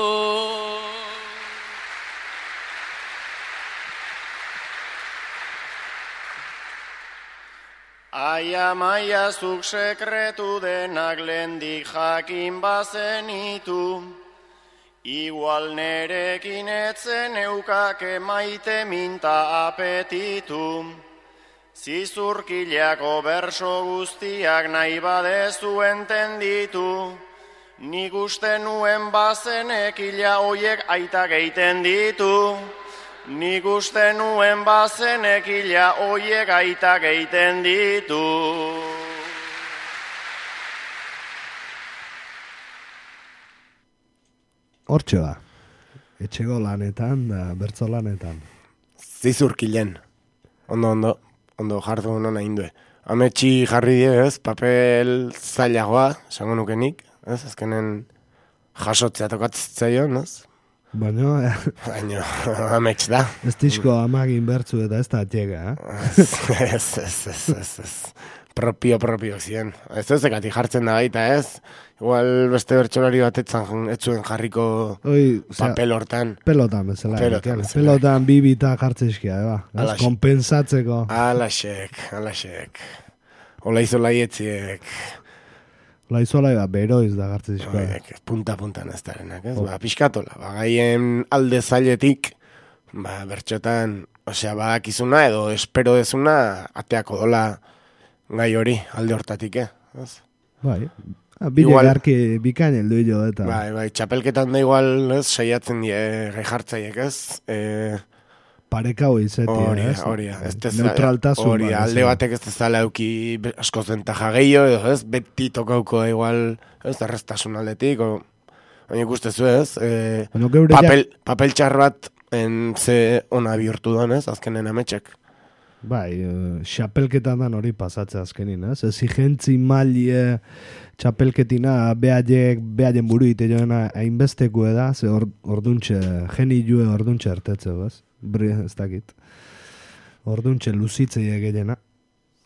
Aia maia zuk sekretu denak lehendik jakin bazenitu, igual nerekin etzen eukake maite minta apetitu. Zizurkileako berso guztiak nahi badezu entenditu, nik uste nuen bazenekila hoiek aitak eiten ditu. Nik uste nuen bazenekila hoiek aitak eiten ditu. Hortxe ba, etxego lanetan da bertso lanetan. Zizurkilen, ondo jardu nona indue. Ametxi jarri die, ez, papel zailagoa, esango nukenik, ez, azkenen jasotzea tokatzaion, ez? Baina, amets da. Ez disko amagin bertzu eta ez da atxega, Ez. propio ziren. Ez zekati jartzen da baita, ez? Igual beste bertsolari batetzan etzuen jarriko papel hortan. Pelotan bezala. Pelotan bibita jartzezkia, kompensatzeko. Alaxek. Ola izo laietziek. Ola izo lai beroiz da jartzezkoa. Punta-puntan ez darenak, ez? Piskatola, gaien alde zailetik, bertxotan, badakizuna edo espero dezuna ateako dola gai hori alde hortatik, ez? Bai. Bile garki bikain heldu hilo eta... Bai, txapelketan da igual, ez, saiatzen die gai jartzaiek, ez? Parekau izetia, ez? Horia. Neutraltasun. Horia, alde batek ez dezala euki askoz ventaja gehiago, edo, ez? Beti tokauko igual, ez, errestasun aldetik, baina ikustezu, ez? Papel txar bat ze ona bihurtu doan, ez? Azkenen ametxek. Bai, txapelketan dan hori pasatzea azkenin, ez? Exigentzi malie txapelketina behaien buru ite joana hainbesteko eda, ze orduntxe, geni jue orduntxe ertetzeo, ez? Ez dakit. Orduntxe luzitzei egeiena.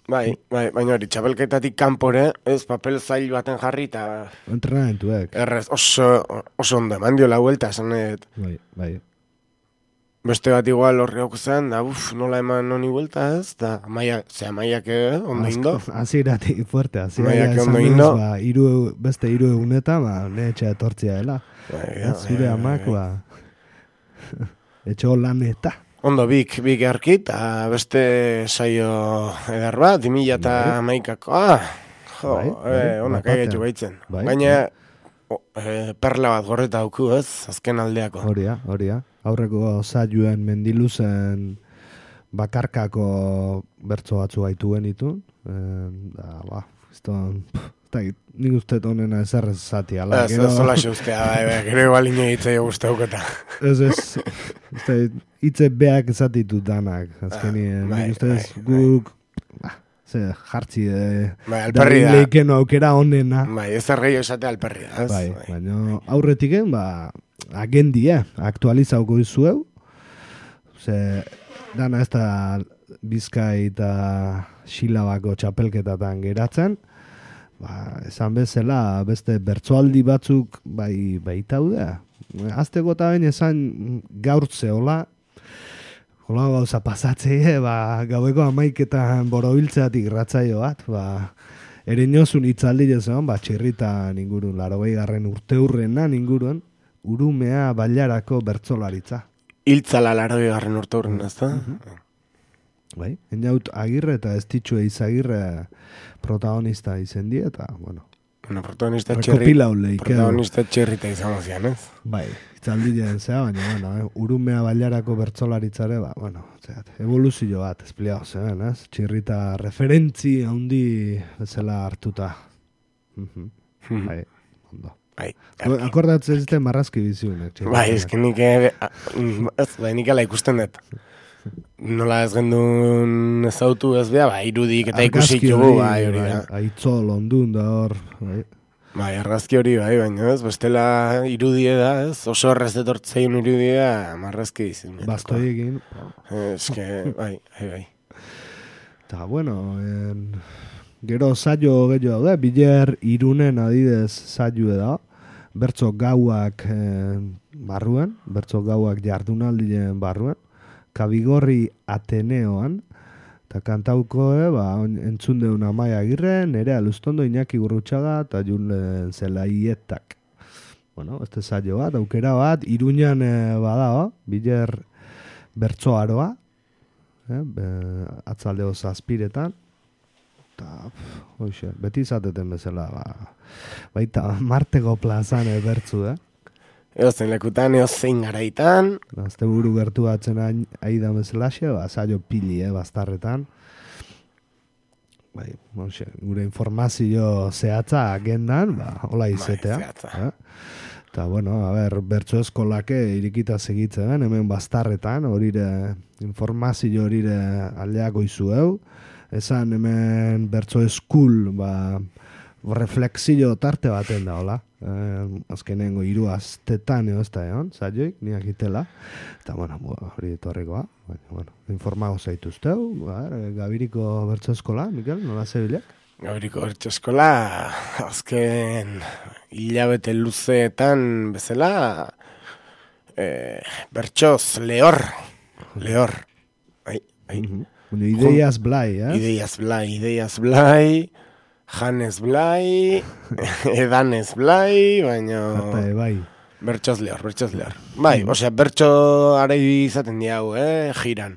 Bai, baina hori, txapelketatik kanpore, ez papel zail baten jarri eta... Entrenamentuek. Errez, oso ondo, mandio la vuelta, esanet. Bai. Beste bat igual horri hauko zen, da nola eman honi vuelta ez, da maiak ondo indo. Aziratik fuerte, aziratik ondo indo. Beste 3 eguneta, ne etxe etortzia dela. Zure amak, etxo laneta. Ondo bik erkit, beste saio eder bat, 2011ko, onak egetu baitzen. Baina perla bat gorreta hauku ez, azken aldeako. Horia. Aurreko saioen mendiluzen bakarkako bertso batzu gaitu genitun. Nik uste honena ezerrez zati. Ez zola ustea, gero igual inoitzei guztauketa. Ez, hitze beak zatitu danak. Azkenien, nik uste guk jartzi alperri da. Leiken aukera honena. Ez ergeio esate alperri da. Baina aurretiken, agendia, aktualizauko izueu. Dana ez da Bizkai eta Xilabako txapelketatan geratzen. Esan bezala, beste bertsoaldi batzuk baitaude. Azteko eta bain esan gaurtze hola, hola gauza pasatzea, gaueko 11etan borobiltzeatik ratzaio bat, ereñozun itzaldi jezen, txirritan ingurun, 80. urte hurrenan ingurun, urumea bailarako bertsolaritza. Hiltzala 80. urte hurren, ez da? Bai, eniaut Agirre eta Estitxue Izagirre protagonista izen die, eta, protagonista txirrita izango zian, ez? Bai, itzaldien zea, baina, urumea bailarako bertsolaritzare, evoluzio bat, espliago zen, ez? Txirrita referentzi handi bezala hartuta. Bai, ondo. Akordatzen zite marrazki biziunek. Bai, ezki nik ala ikusten dut. Nola ez gendun ezautu ez beha, irudik eta ikusik jugu, hori da. Aitzol, ondun da hor. Argazki hori, baina ez, bestela irudie da, ez, oso horrez detortzein irudie, marrazki izin. Bastoi egin. Bai. Eta, gero saio gehiago da, Biler Irunen adidez saio da, bertso gauak barruan, bertso gauak jardunaldien barruan, Kabigorri Ateneoan, eta kantauko, entzun deun Amaia Agirre, Nerea Luztondo, Iñaki Gurrutxaga, eta Julen Zelaietak. Este saio bat, aukera bat, Iruñan bada, Biler bertso aroa, atzaldeo zazpiretan, eta, beti izateten bezala, baita Martego plazan bertzu, Eozen lekutan, eozein garaitan. Azte buru gertu batzen aida bezalaxe, saio pili, bastarretan. Gure informazio zehatza agendan, hola izetea. Eta, bertso eskolake irikita segitzen, hemen bastarretan, horire informazio horire aldeako izueu. Esan hemen bertso eskul, reflexio tarte baten da, hola. Azkenengo 3 astetan ez da egon, saioik, niak itela. Eta, hori etorrikoa. Informago zaituzteu, Gabiriko bertso eskola, Mikel, nola zebilek? Gauriko bertso eskola, azken hilabete luzeetan bezala, bertsoz lehor. Ideiaz blai, Ideiaz blai, janez blai, edanez blai, baina... bai. Bertsoz lehor. Bai, osea, bertso arai izaten diau, jiran.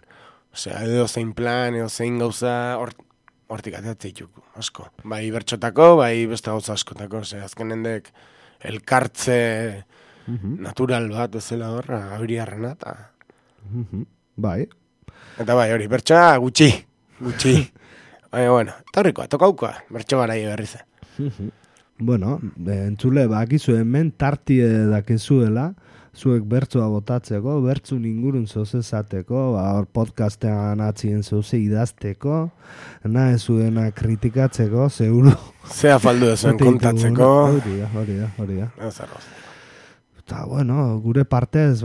Osea, edo zein plan, edo zein gauza, hortik ateatzea ituko, asko. Bai, bertxotako, bai, beste gauza askotako. Osea, azken hendek elkartze natural bat bezala horra, abiriarrena, eta... Bai. Eta bai, hori, bertsoa gutxi. Baina, bueno, eta horrikoa, tokaukoa, bertso garai berriz. Bueno, entzule, bakizu hemen tartie dakezuela, zuek bertsoa botatzeko, bertzun ingurun zozezateko, hor podcastean atzien zoze idazteko, nahi zuena kritikatzeko, seguru. Zea faldu zuen kontatzeko. Hori da. Eta, bueno, gure partez,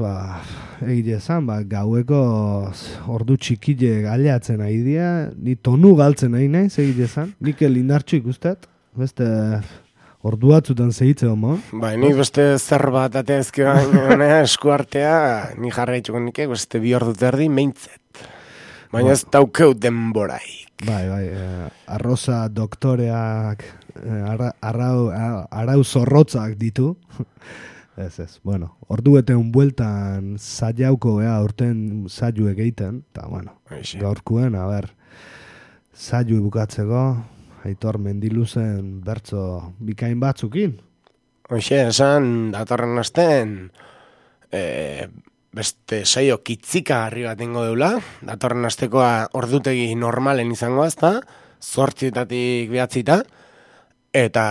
egile esan, gaueko ordu txikile galeatzen nahi dira, ni tonu galtzen nahi nahi, egile esan, nik lindartxu ikustet, beste orduatzutan zehitze homo. Bai, ni beste zer bat ateazke baina eskuartea, ni jarraitzuko nike, beste 2 ordu terdi meintzet. Baina ez daukeu denboraik. Bai, arroza doktoreak, arau zorrotzak ditu. Ez, bueno, ordu eteun bueltan zaiauko urten zaiu egiten, eta, bueno, gaurkuen, zaiu bukatzeko, Aitor Mendiluzen bertso bikain batzukin. Hoxe, esan, datorren asten, beste saio kitzika harri bat ingo deula, datorren astekoa ordutegi normalen izango azta, 8:00 9:00, eta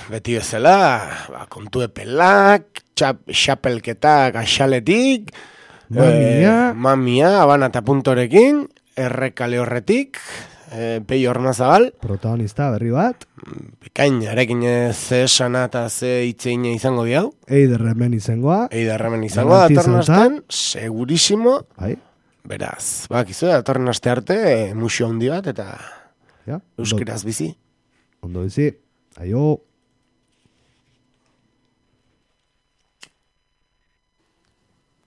beti bezala, kontu epelak, xapelketak axaletik, mamia, abana eta puntorekin, errekale horretik, Peio Ormazabal. Protagonista berri bat. Bikain, arekin ze esana eta ze itzeine izango diau. Eiderremen izangoa. Datorren astean, segurísimo. Beraz, bakizu, datorren aste arte, musio handi bat, eta euskeraz bizi. Ondo bizi. Aio.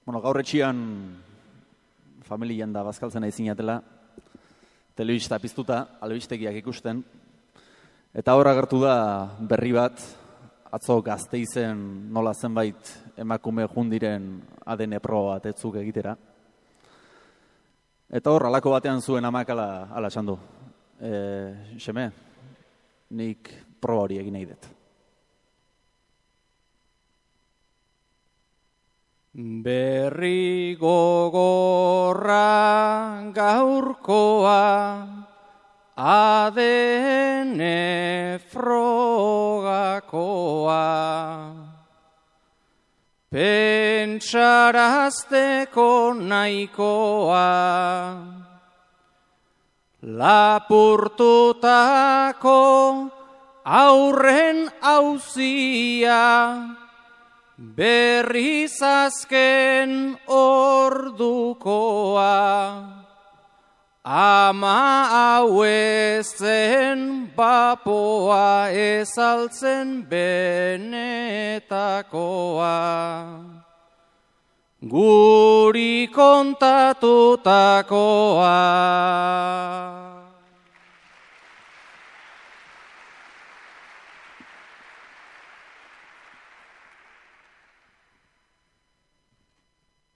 Bueno, gaur etxian familian da bazkaltzen nahi zinatela, telebista piztuta, albistegiak ikusten, eta hor agertu da berri bat, atzo Gasteizen nola zenbait emakume jundiren ADN proba bat etzuk egitera. Eta hor, alako batean zuen amak ala esan du. Xeme, nik proba hori egin nahi dut. Berri gogorra gaurkoa ADN frogakoa pentsarazteko nahikoa lapurtutako aurren auzia berriz azken ordukoa, ama hau ezen bapoa ezaltzen benetakoa. Guri kontatutakoa.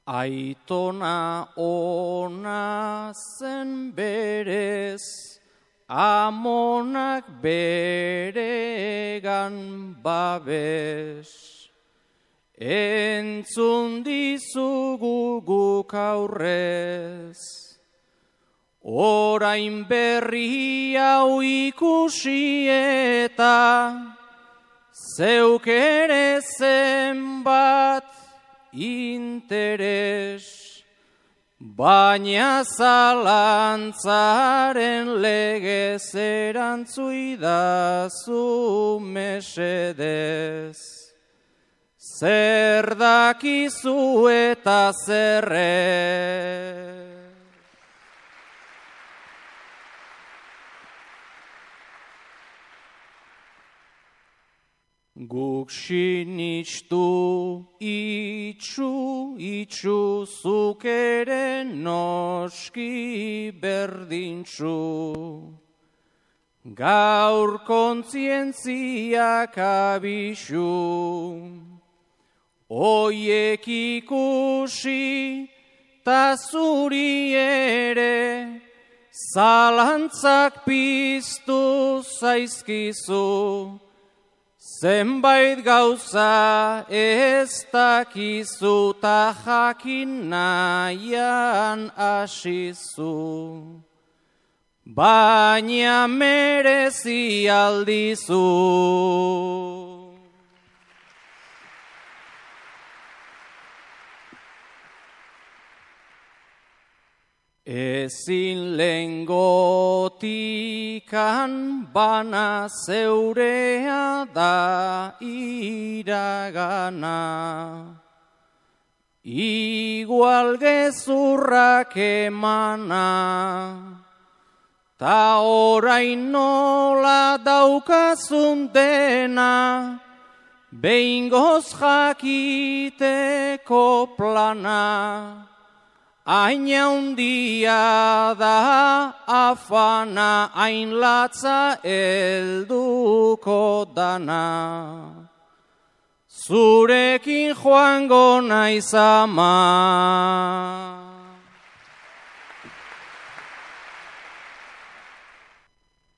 Aitona ona zen berez, amonak beregan babes. Entzun dizugu guk aurrez, orain berri hau ikusi eta zeuk ere zenbat interes, baina zalantzaren legez erantzuidazu mesedez. Zer dakizu eta zerre. Guk sinistu itxu, zuk ere noski berdintxu. Gaur kontzientziak abixu, oiek ikusi ta zuri ere, zalantzak piztu zaizkizu, zenbait gauza ez dakizu ta jakin nahian asizu. Baina merezi aldizu. Ezin lengotikan bana zeurea da iragana. Igual gezurrak emana. Ta orain nola daukazun dena, behingoz jakiteko plana, hain handia da afana, hain latza helduko dana. Zurekin joango naiz ama.